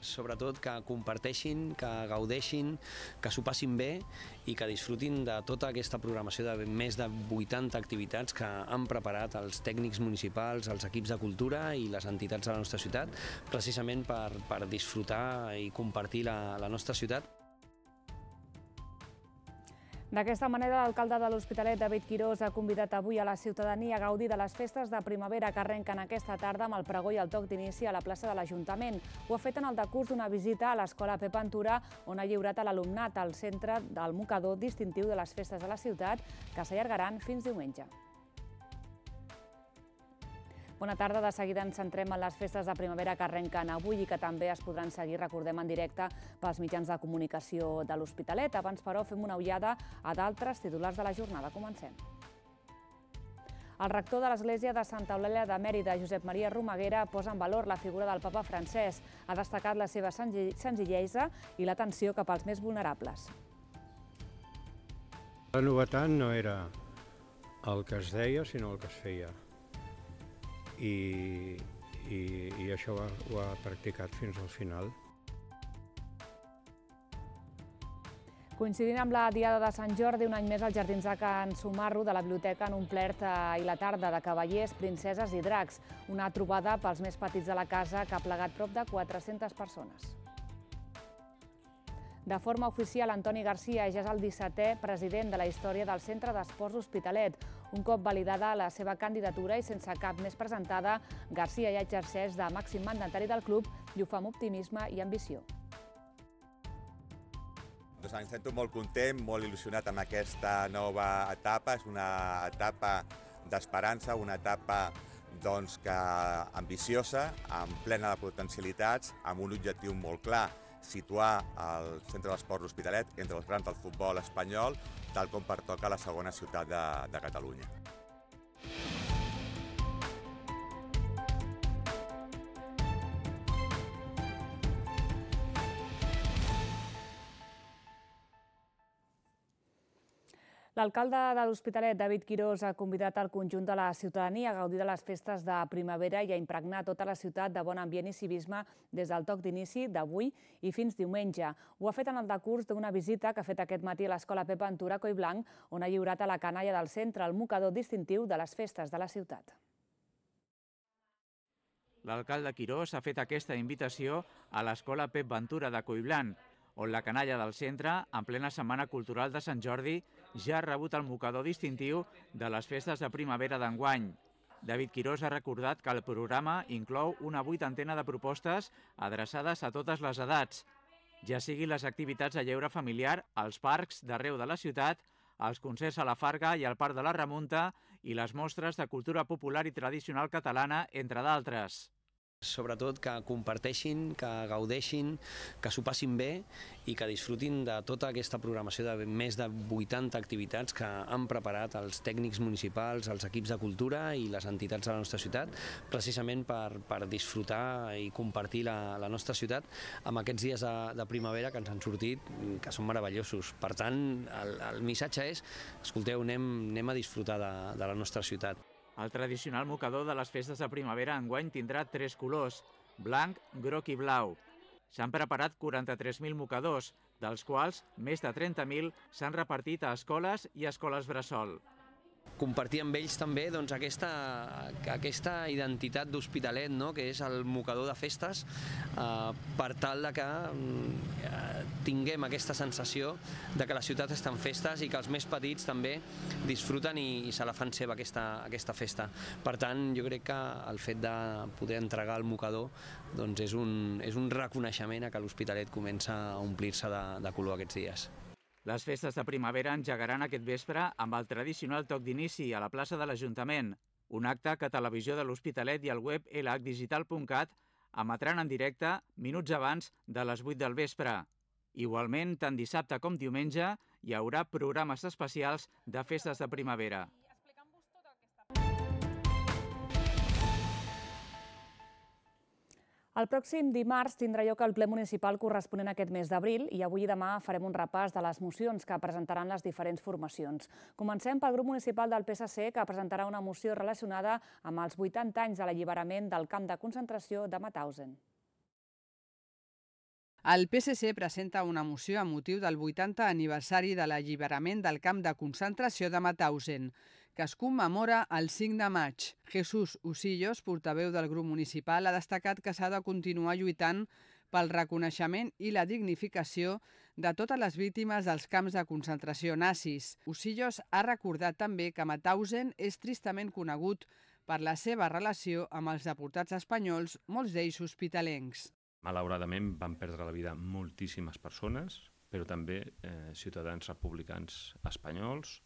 Sobretot que comparteixin, que gaudeixin, que s'ho passin bé i que disfrutin de tota aquesta programació de més de 80 activitats que han preparat els tècnics municipals, els equips de cultura i les entitats de la nostra ciutat, precisament per disfrutar i compartir la nostra ciutat. D'aquesta manera, l'alcalde de l'Hospitalet, David Quirós, ha convidat avui a la ciutadania a gaudir de les festes de primavera que arrenquen aquesta tarda amb el pregó i el toc d'inici a la plaça de l'Ajuntament. Ho ha fet en el decurs d'una visita a l'Escola Pep Ventura, on ha lliurat a l'alumnat al centre del mocador distintiu de les festes de la ciutat, que s'allargaran fins diumenge. Bona tarda. De seguida ens centrem en les festes de primavera que arrenquen avui i que també es podran seguir, recordem, en directe pels mitjans de comunicació de l'Hospitalet. Abans, però, fem una ullada a d'altres titulars de la jornada. Comencem. El rector de l'Església de Santa Eulàlia de Mèrida, Josep Maria Romaguera, posa en valor la figura del papa Francesc. Ha destacat la seva senzillesa i l'atenció cap als més vulnerables. La novetat no era el que es deia, sinó el que es feia. I això ho ha practicat fins al final. Coincidint amb la Diada de Sant Jordi, un any més als Jardins de Can Sumarro de la biblioteca han omplert i la tarda de cavallers, princeses i dracs. Una trobada pels més petits de la casa que ha plegat prop de 400 persones. De forma oficial, Antoni Garcia ja és el 17è president de la història del Centre d'Esports Hospitalet. Un cop validada la seva candidatura i sense cap més presentada, Garcia ja exerceix de màxim mandatari del club i ho fa amb optimisme i ambició. Em sento molt content, molt il·lusionat amb aquesta nova etapa. És una etapa d'esperança, una etapa ambiciosa, amb plena de potencialitats, amb un objectiu molt clar: situar el Centre d'Esports Hospitalet entre els grans del futbol espanyol, tal com pertoca a la segona ciutat de Catalunya. L'alcalde de l'Hospitalet, David Quirós, ha convidat el conjunt de la ciutadania a gaudir de les festes de primavera i a impregnar tota la ciutat de bon ambient i civisme des del toc d'inici d'avui i fins diumenge. Ho ha fet en el decurs d'una visita que ha fet aquest matí a l'Escola Pep Ventura a Collblanc, on ha lliurat a la canalla del centre el mocador distintiu de les festes de la ciutat. L'alcalde Quirós ha fet aquesta invitació a l'Escola Pep Ventura de Collblanc, on la canalla del centre, en plena Setmana Cultural de Sant Jordi, ja ha rebut el mocador distintiu de les festes de primavera d'enguany. David Quirós ha recordat que el programa inclou una 80ena de propostes adreçades a totes les edats, ja siguin les activitats de lleure familiar als parcs d'arreu de la ciutat, els concerts a la Farga i al Parc de la Remunta i les mostres de cultura popular i tradicional catalana, entre d'altres. Sobretot que comparteixin, que gaudeixin, que s'ho passin bé i que disfrutin de tota aquesta programació de més de 80 activitats que han preparat els tècnics municipals, els equips de cultura i les entitats de la nostra ciutat, precisament per disfrutar i compartir la nostra ciutat amb aquests dies de primavera que ens han sortit, que són meravellosos. Per tant, el missatge és: escolteu, anem a disfrutar de la nostra ciutat. El tradicional mocador de les festes de primavera enguany tindrà 3 colors: blanc, groc i blau. S'han preparat 43.000 mocadors, dels quals més de 30.000 s'han repartit a escoles i escoles bressol. Compartir amb ells també aquesta identitat d'Hospitalet, que és el mocador de festes, per tal que tinguem aquesta sensació de que la ciutat està en festes i que els més petits també disfruten i se la fan seva aquesta festa. Per tant, jo crec que el fet de poder entregar el mocador és un reconeixement a que l'Hospitalet comença a omplir-se de color aquests dies. Les festes de primavera engegaran aquest vespre amb el tradicional toc d'inici a la plaça de l'Ajuntament, un acte que Televisió de l'Hospitalet i el web lhdigital.cat emetran en directe minuts abans de les 8 del vespre. Igualment, tant dissabte com diumenge, hi haurà programes especials de festes de primavera. El pròxim dimarts tindrà lloc el ple municipal corresponent a aquest mes d'abril i avui i demà farem un repàs de les mocions que presentaran les diferents formacions. Comencem pel grup municipal del PSC, que presentarà una moció relacionada amb els 80 anys de l'alliberament del camp de concentració de Mauthausen. El PSC presenta una moció amb motiu del 80 aniversari de l'alliberament del camp de concentració de Mauthausen, que es commemora el 5 de maig. Jesús Usillos, portaveu del grup municipal, ha destacat que s'ha de continuar lluitant pel reconeixement i la dignificació de totes les víctimes dels camps de concentració nazis. Usillos ha recordat també que Mauthausen és tristament conegut per la seva relació amb els deportats espanyols, molts d'ells hospitalencs. Malauradament van perdre la vida moltíssimes persones, però també ciutadans republicans espanyols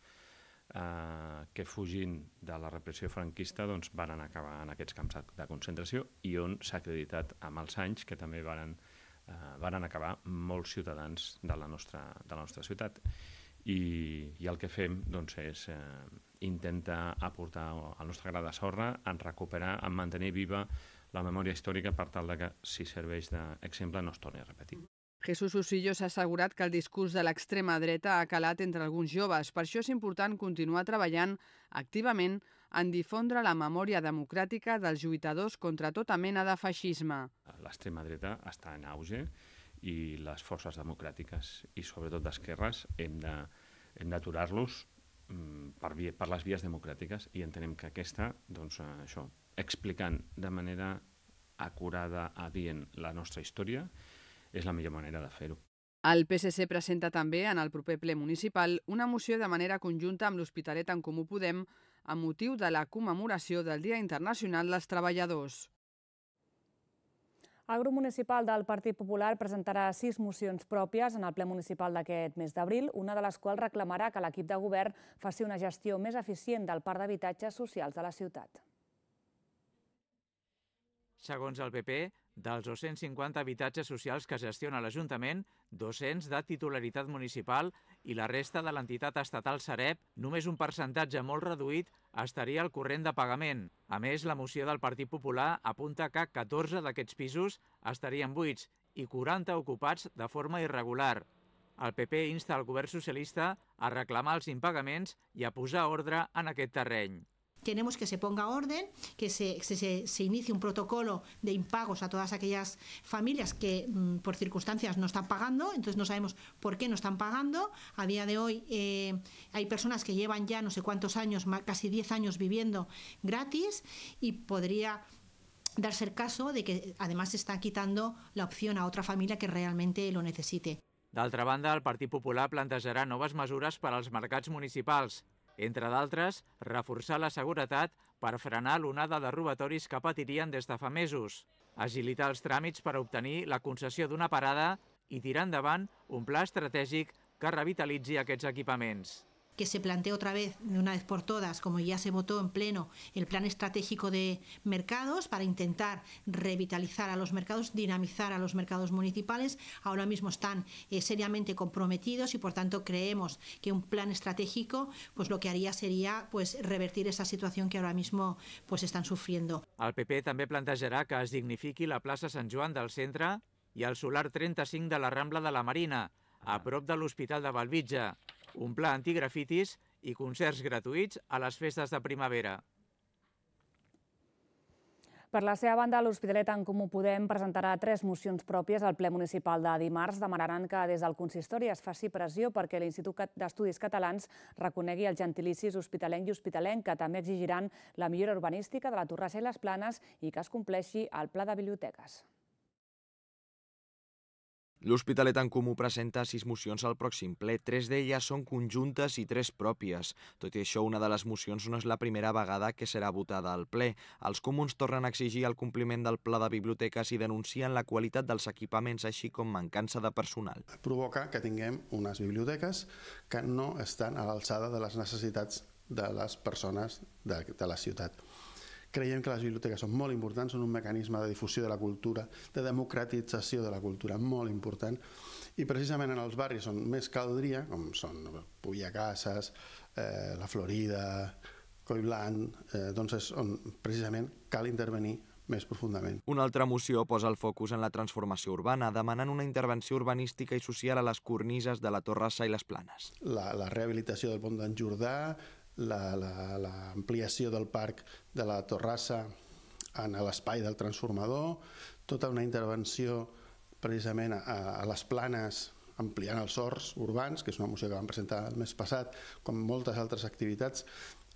que fugint de la repressió franquista van acabar en aquests camps de concentració i on s'ha acreditat amb els anys que també van acabar molts ciutadans de la nostra ciutat. I el que fem és intentar aportar el nostre gra de sorra en recuperar, en mantenir viva la memòria històrica per tal que, si serveix d'exemple, no es torni a repetir. Jesús Usillos ha assegurat que el discurs de l'extrema dreta ha calat entre alguns joves. Per això és important continuar treballant activament en difondre la memòria democràtica dels lluitadors contra tota mena de feixisme. L'extrema dreta està en auge i les forces democràtiques i sobretot d'esquerres hem d'aturar-los per les vies democràtiques i entenem que aquesta, explicant de manera acurada, adient la nostra història, és la millor manera de fer-ho. El PSC presenta també en el proper ple municipal una moció de manera conjunta amb l'Hospitalet en Comú Podem amb motiu de la commemoració del Dia Internacional dels Treballadors. El grup municipal del Partit Popular presentarà 6 mocions pròpies en el ple municipal d'aquest mes d'abril, una de les quals reclamarà que l'equip de govern faci una gestió més eficient del parc d'habitatges socials de la ciutat. Segons el PP, dels 250 habitatges socials que gestiona l'Ajuntament, 200 de titularitat municipal i la resta de l'entitat estatal Sareb, només un percentatge molt reduït estaria al corrent de pagament. A més, la moció del Partit Popular apunta que 14 d'aquests pisos estarien buits i 40 ocupats de forma irregular. El PP insta el govern socialista a reclamar els impagaments i a posar ordre en aquest terreny. Queremos que se ponga orden, que se inicie un protocolo de impagos a todas aquellas familias que por circunstancias no están pagando, entonces no sabemos por qué no están pagando. A día de hoy hay personas que llevan ya no sé cuántos años, casi 10 años viviendo gratis y podría darse el caso de que además se está quitando la opción a otra familia que realmente lo necesite. D'altra banda, el Partit Popular plantejarà noves mesures per als mercats municipals. Entre d'altres, reforçar la seguretat per frenar l'onada de robatoris que patirien des de fa mesos, agilitar els tràmits per obtenir la concessió d'una parada i tirar endavant un pla estratègic que revitalitzi aquests equipaments. Que se plantee otra vez, de una vez por todas, como ya se votó en pleno, el plan estratégico de mercados para intentar revitalizar a los mercados, dinamizar a los mercados municipales. Ahora mismo están seriamente comprometidos y, por tanto, creemos que un plan estratégico pues lo que haría sería revertir esa situación que ahora mismo están sufriendo. El PP també plantejarà que es dignifiqui la plaça Sant Joan del centre i el solar 35 de la Rambla de la Marina, a prop de l'Hospital de Bellvitge, un pla antigrafitis i concerts gratuïts a les festes de primavera. Per la seva banda, l'Hospitalet en Comú Podem presentarà 3 mocions pròpies al ple municipal de dimarts. Demanaran que des del consistori es faci pressió perquè l'Institut d'Estudis Catalans reconegui els gentilicis hospitalenc i hospitalenc, que també exigiran la millora urbanística de la Torrassa i les Planes i que es compleixi el pla de biblioteques. L'Hospitalet en Comú presenta 6 mocions al pròxim ple. 3 d'elles són conjuntes i 3 pròpies. Tot i això, una de les mocions no és la primera vegada que serà votada al ple. Els comuns tornen a exigir el compliment del pla de biblioteques i denuncien la qualitat dels equipaments, així com mancança de personal. Provoca que tinguem unes biblioteques que no estan a l'alçada de les necessitats de les persones de la ciutat. Creiem que les biblioteques són molt importants, són un mecanisme de difusió de la cultura, de democratització de la cultura molt important, i precisament en els barris on més caldria, com són Puillacases, la Florida, Coiblanc, doncs és on precisament cal intervenir més profundament. Una altra moció posa el focus en la transformació urbana, demanant una intervenció urbanística i social a les cornises de la Torrassa i les Planes. La rehabilitació del pont d'en Jordà, l'ampliació del parc de la Torrassa en l'espai del transformador, tota una intervenció precisament a les planes ampliant els horts urbans, que és una moció que vam presentar el mes passat, com moltes altres activitats,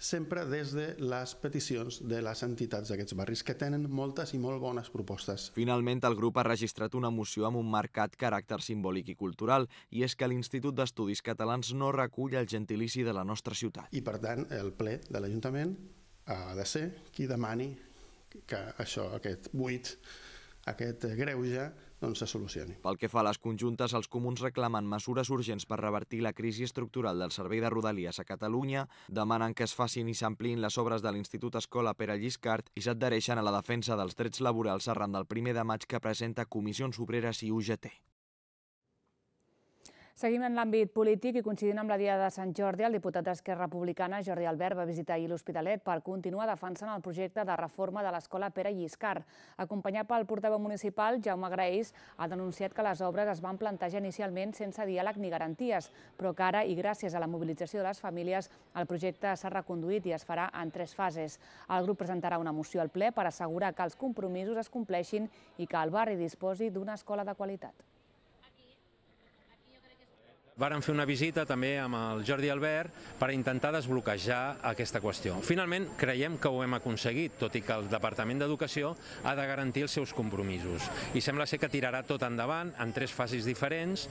sempre des de les peticions de les entitats d'aquests barris, que tenen moltes i molt bones propostes. Finalment, el grup ha registrat una moció amb un marcat caràcter simbòlic i cultural, i és que l'Institut d'Estudis Catalans no recull el gentilici de la nostra ciutat. I, per tant, el ple de l'Ajuntament ha de ser qui demani que això, aquest buit, aquest greuge, se solucioni. Pel que fa a les conjuntes, els comuns reclamen mesures urgents per revertir la crisi estructural del servei de Rodalies a Catalunya, demanen que es facin i s'ampliïn les obres de l'Institut Escola Pere Lliscart i s'adhereixen a la defensa dels drets laborals arran del 1 de maig que presenta Comissions Obreres i UGT. Seguim en l'àmbit polític i coincidint amb la Diada de Sant Jordi, el diputat d'Esquerra Republicana, Jordi Albert, va visitar ahir l'Hospitalet per continuar defensant el projecte de reforma de l'Escola Pere Lliscart. Acompanyat pel portaveu municipal, Jaume Graells, ha denunciat que les obres es van plantejar inicialment sense diàleg ni garanties, però que ara, i gràcies a la mobilització de les famílies, el projecte s'ha reconduït i es farà en 3 fases. El grup presentarà una moció al ple per assegurar que els compromisos es compleixin i que el barri disposi d'una escola de qualitat. Vàrem fer una visita també amb el Jordi Albert per intentar desbloquejar aquesta qüestió. Finalment, creiem que ho hem aconseguit, tot i que el Departament d'Educació ha de garantir els seus compromisos. I sembla ser que tirarà tot endavant en 3 fases diferents.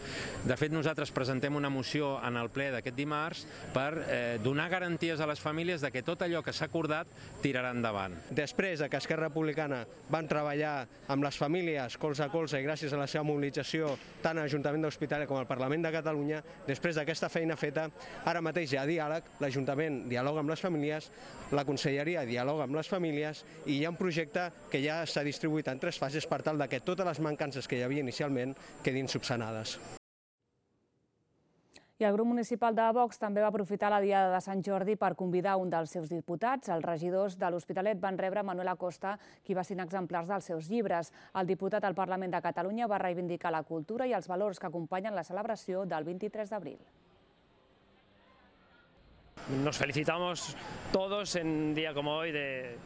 De fet, nosaltres presentem una moció en el ple d'aquest dimarts per donar garanties a les famílies de que tot allò que s'ha acordat tirarà endavant. Després que Esquerra Republicana van treballar amb les famílies colze a colze i gràcies a la seva mobilització tant a l'Ajuntament de l'Hospitalet com al Parlament de Catalunya, després d'aquesta feina feta, ara mateix hi ha diàleg, l'Ajuntament dialoga amb les famílies, la Conselleria dialoga amb les famílies i hi ha un projecte que ja s'ha distribuït en 3 fases per tal que totes les mancances que hi havia inicialment quedin subsanades. I el grup municipal de Vox també va aprofitar la Diada de Sant Jordi per convidar un dels seus diputats. Els regidors de l'Hospitalet van rebre Manuel Acosta, qui va signar exemplars dels seus llibres. El diputat al Parlament de Catalunya va reivindicar la cultura i els valors que acompanyen la celebració del 23 d'abril. Nos felicitamos todos en un día como hoy de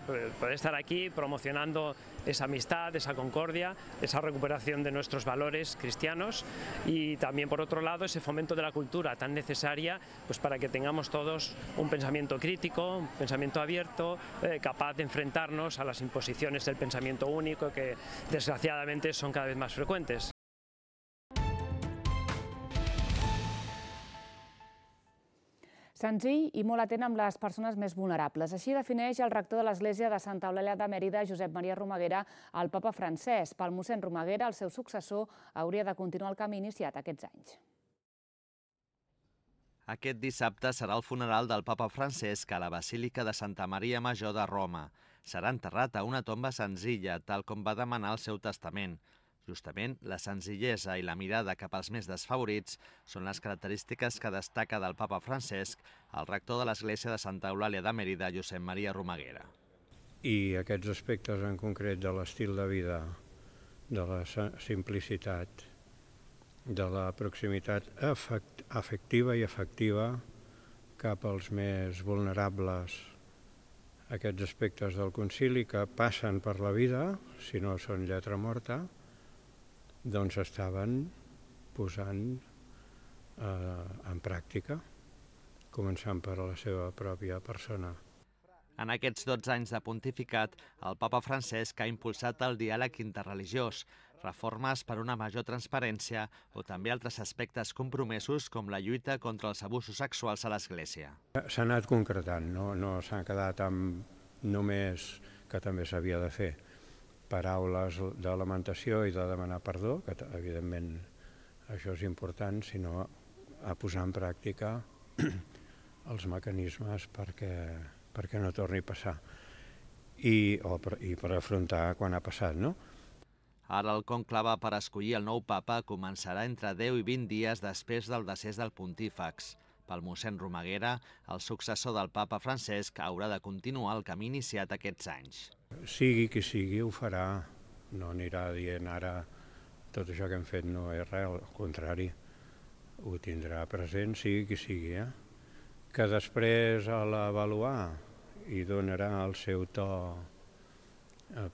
poder estar aquí promocionando esa amistad, esa concordia, esa recuperación de nuestros valores cristianos y también, por otro lado, ese fomento de la cultura tan necesaria para que tengamos todos un pensamiento crítico, un pensamiento abierto, capaz de enfrentarnos a las imposiciones del pensamiento único que desgraciadamente son cada vez más frecuentes. Senzill i molt atent amb les persones més vulnerables. Així defineix el rector de l'Església de Santa Eulàlia de Mèrida, Josep Maria Romaguera, el papa Francesc. Pel mossèn Romaguera, el seu successor hauria de continuar el camí iniciat aquests anys. Aquest dissabte serà el funeral del papa Francesc a la Basílica de Santa Maria Major de Roma. Serà enterrat a una tomba senzilla, tal com va demanar el seu testament. Justament, la senzillesa i la mirada cap als més desfavorits són les característiques que destaca del papa Francesc el rector de l'Església de Santa Eulàlia de Mèrida, Josep Maria Romaguera. I aquests aspectes en concret de l'estil de vida, de la simplicitat, de la proximitat afectiva i efectiva cap als més vulnerables, aquests aspectes del concili que passen per la vida, si no són lletra morta, doncs estaven posant en pràctica, començant per la seva pròpia persona. En aquests 12 anys de pontificat, el papa Francesc ha impulsat el diàleg interreligiós, reformes per una major transparència o també altres aspectes compromesos com la lluita contra els abusos sexuals a l'Església. S'ha anat concretant, no s'ha quedat amb només que també s'havia de fer paraules de lamentació i de demanar perdó, que evidentment això és important, sinó a posar en pràctica els mecanismes perquè no torni a passar i per afrontar quan ha passat, no? Ara el conclave per escollir el nou papa començarà entre 10 i 20 dies després del decés del pontífex. Pel mossèn Romaguera, el successor del papa Francesc haurà de continuar el camí iniciat aquests anys. Sigui qui sigui, ho farà. No anirà dient ara tot això que hem fet no és res, al contrari, ho tindrà present, sigui qui sigui. Que després a l'avaluar hi donarà el seu to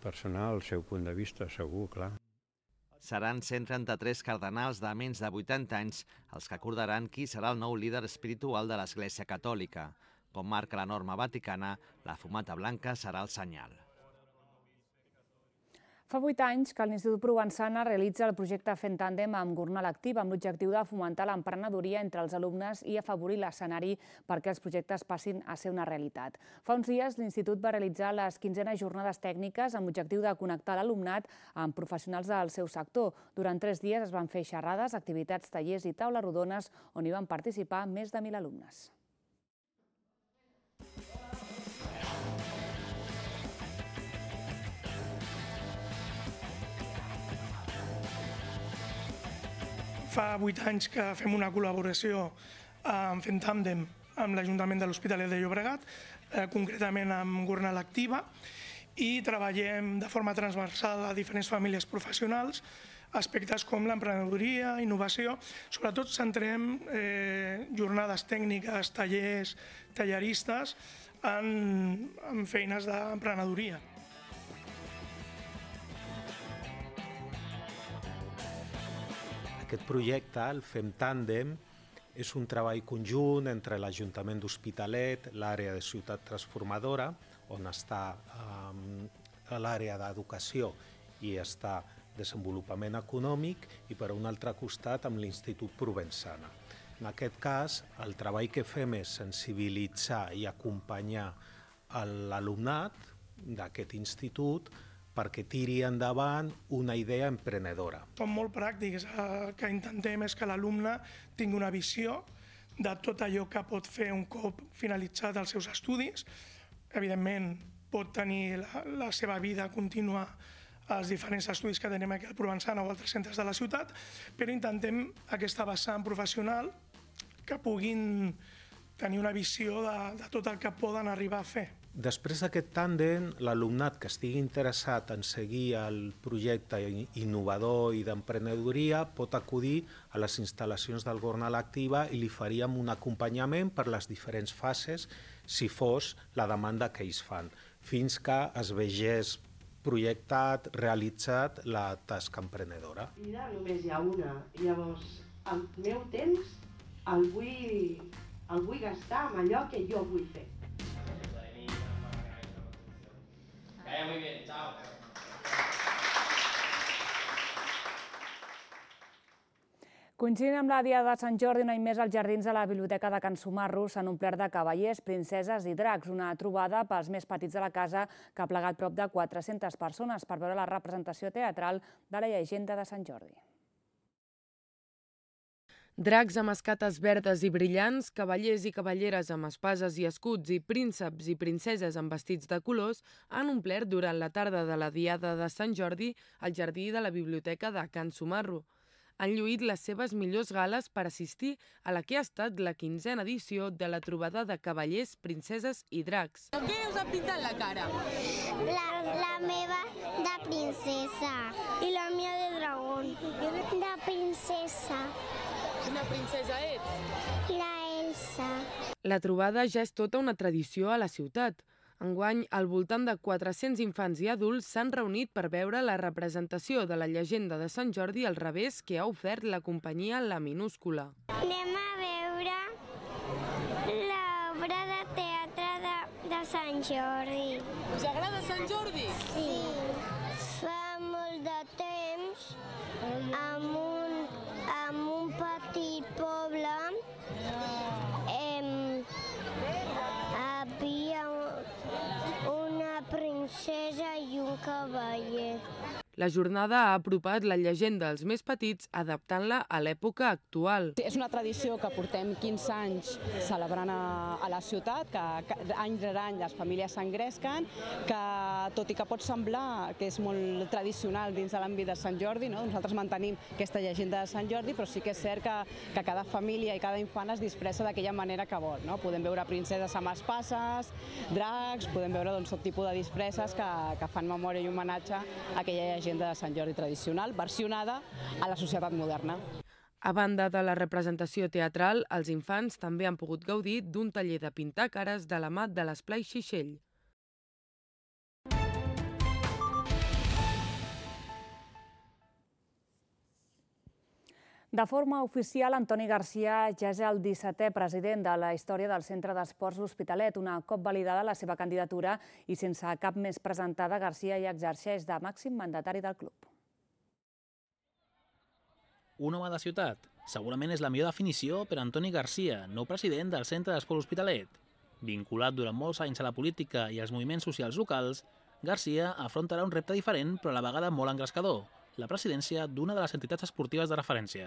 personal, el seu punt de vista, segur, clar. Seran 133 cardenals de menys de 80 anys els que acordaran qui serà el nou líder espiritual de l'Església Catòlica. Com marca la norma vaticana, la fumata blanca serà el senyal. Fa 8 anys que l'Institut Provençana realitza el projecte Fent Tàndem amb Gornal Activa, amb l'objectiu de fomentar l'emprenedoria entre els alumnes i afavorir l'escenari perquè els projectes passin a ser una realitat. Fa uns dies l'Institut va realitzar les 15enes jornades tècniques amb l'objectiu de connectar l'alumnat amb professionals del seu sector. Durant 3 dies es van fer xerrades, activitats, tallers i taules rodones on hi van participar més de 1.000 alumnes. Fa 8 anys que fem una col·laboració amb Fent Tàndem amb l'Ajuntament de l'Hospitalet de Llobregat, concretament amb Gornal Activa, i treballem de forma transversal a diferents famílies professionals aspectes com l'emprenedoria, innovació. Sobretot centrem jornades tècniques, tallers, talleristes en feines d'emprenedoria. Aquest projecte, el Fem Tàndem, és un treball conjunt entre l'Ajuntament d'Hospitalet, l'àrea de Ciutat Transformadora, on està l'àrea d'educació i està desenvolupament econòmic, i per un altre costat amb l'Institut Provençana. En aquest cas, el treball que fem és sensibilitzar i acompanyar l'alumnat d'aquest institut perquè tiri endavant una idea emprenedora. Som molt pràctics, el que intentem és que l'alumne tingui una visió de tot allò que pot fer un cop finalitzat els seus estudis. Evidentment, pot tenir la seva vida contínua als diferents estudis que tenim aquí al Provençana o altres centres de la ciutat, però intentem aquesta vessant professional que puguin tenir una visió de tot el que poden arribar a fer. Després d'aquest tàndem, l'alumnat que estigui interessat en seguir el projecte innovador i d'emprenedoria pot acudir a les instal·lacions del Gornal Activa i li faríem un acompanyament per les diferents fases, si fos la demanda que ells fan, fins que es vegés projectat, realitzat la tasca emprenedora. Vida només hi ha una, llavors el meu temps el vull gastar amb allò que jo vull fer. Muy bien, chao. Coincidint amb la Diada de Sant Jordi, un any més, els jardins de la Biblioteca de Can Sumarro s'han omplert de cavallers, princeses i dracs, una trobada pels més petits de la casa que ha plegat prop de 400 persones per veure la representació teatral de la llegenda de Sant Jordi. Dracs amb escates verdes i brillants, cavallers i cavalleres amb espases i escuts i prínceps i princeses amb vestits de colors han omplert durant la tarda de la Diada de Sant Jordi el jardí de la Biblioteca de Can Sumarro. Han lluït les seves millors gales per assistir a la que ha estat la 15a edició de la trobada de cavallers, princeses i dracs. Què us ha pintat la cara? La meva de princesa i la meva de dragón. De princesa. Quina princesa ets? La Elsa. La trobada ja és tota una tradició a la ciutat. Enguany, al voltant de 400 infants i adults s'han reunit per veure la representació de la llegenda de Sant Jordi al revés que ha ofert la companyia La Minúscula. Anem a veure l'obra de teatre de Sant Jordi. Us agrada Sant Jordi? Sí. Fa molt de temps, amb un petit poble, havia una princesa i un cavaller. La jornada ha apropat la llegenda als més petits, adaptant-la a l'època actual. És una tradició que portem 15 anys celebrant a la ciutat, que any rere any les famílies s'engresquen, que tot i que pot semblar que és molt tradicional dins de l'àmbit de Sant Jordi, nosaltres mantenim aquesta llegenda de Sant Jordi, però sí que és cert que cada família i cada infant es disfressa d'aquella manera que vol. Podem veure princeses amb espases, dracs, podem veure tot tipus de disfresses que fan memòria i homenatge a aquella llegenda de Sant Jordi tradicional, versionada a la societat moderna. A banda de la representació teatral, els infants també han pogut gaudir d'un taller de pintar cares de la mà de l'Esplai Xixell. De forma oficial, Antoni Garcia ja és el 17è president de la història del Centre d'Esports L'Hospitalet. Una cop validada la seva candidatura i sense cap més presentada, Garcia ja exerceix de màxim mandatari del club. Un home de ciutat. Segurament és la millor definició per Antoni Garcia, nou president del Centre d'Esports L'Hospitalet. Vinculat durant molts anys a la política i als moviments socials locals, Garcia afrontarà un repte diferent però a la vegada molt engrescador, la presidència d'una de les entitats esportives de referència.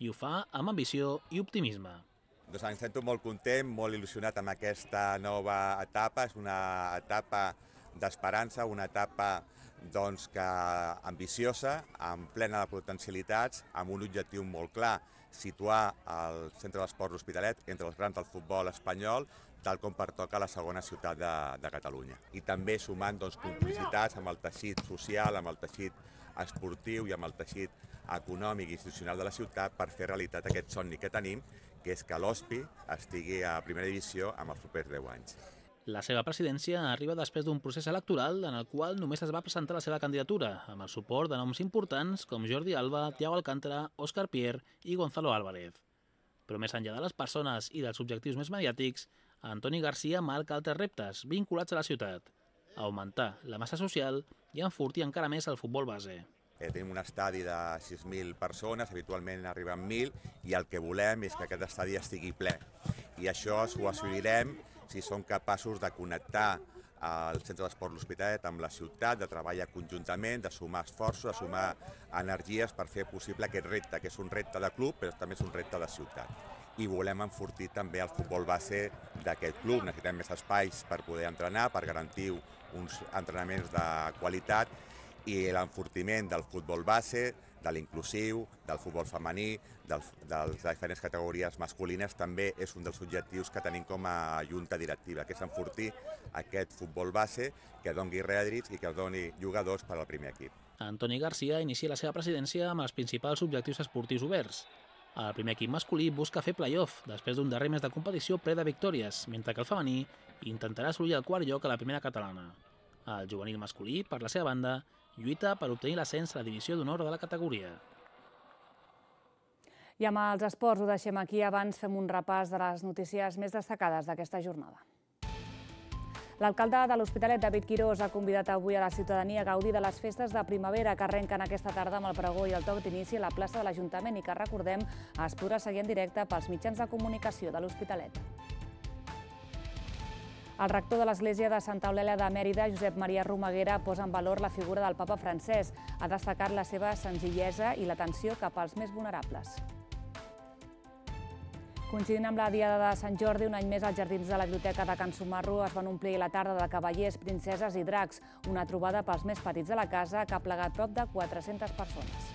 I ho fa amb ambició i optimisme. Doncs em sento molt content, molt il·lusionat amb aquesta nova etapa. És una etapa d'esperança, una etapa ambiciosa, amb plena de potencialitats, amb un objectiu molt clar, situar el Centre d'Esports L'Hospitalet entre els grans del futbol espanyol, tal com pertoca a la segona ciutat de Catalunya. I també sumant complicitats amb el teixit social, amb el teixit esportiu i amb el teixit econòmic i institucional de la ciutat per fer realitat aquest somni que tenim, que és que l'Hospi estigui a primera divisió amb els propers 10 anys. La seva presidència arriba després d'un procés electoral en el qual només es va presentar la seva candidatura, amb el suport de noms importants com Jordi Alba, Thiago Alcántara, Óscar Pierre i Gonzalo Álvarez. Però més enllà de les persones i dels objectius més mediàtics, Antoni Garcia marca altres reptes vinculats a la ciutat: augmentar la massa social i enfortir encara més el futbol base. Tenim un estadi de 6.000 persones, habitualment arriben 1.000, i el que volem és que aquest estadi estigui ple. I això ho assolirem si som capaços de connectar el Centre d'Esports L'Hospitalet amb la ciutat, de treballar conjuntament, de sumar esforços, de sumar energies per fer possible aquest repte, que és un repte de club, però també és un repte de ciutat. I volem enfortir també el futbol base d'aquest club. Necessitem més espais per poder entrenar, per garantir uns entrenaments de qualitat, i l'enfortiment del futbol base, de l'inclusiu, del futbol femení, de les diferents categories masculines, també és un dels objectius que tenim com a junta directiva, que és enfortir aquest futbol base, que doni rèdits i que doni jugadors per al primer equip. Antoni Garcia inicia la seva presidència amb els principals objectius esportius oberts. El primer equip masculí busca fer play-off després d'un darrer mes de competició ple de victòries, mentre que el femení intentarà assolir el quart lloc a la primera catalana. El juvenil masculí, per la seva banda, lluita per obtenir l'ascens a la divisió d'honor de la categoria. I amb els esports ho deixem aquí. Abans fem un repàs de les notícies més destacades d'aquesta jornada. L'alcalde de l'Hospitalet, David Quirós, ha convidat avui a la ciutadania a gaudir de les festes de primavera que arrenquen aquesta tarda amb el pregó i el toc d'inici a la plaça de l'Ajuntament i que, recordem, es podrà seguir en directe pels mitjans de comunicació de l'Hospitalet. El rector de l'Església de Santa Eulàlia de Mèrida, Josep Maria Romaguera, posa en valor la figura del papa francès. Ha destacat la seva senzillesa i l'atenció cap als més vulnerables. Coincidint amb la Diada de Sant Jordi, un any més als jardins de la Biblioteca de Can Sumarro es van omplir la tarda de cavallers, princeses i dracs, una trobada pels més petits de la casa que ha plegat prop de 400 persones.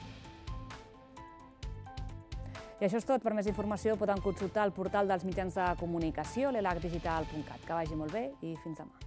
I això és tot. Per més informació poden consultar el portal dels mitjans de comunicació, l'elacdigital.cat. Que vagi molt bé i fins demà.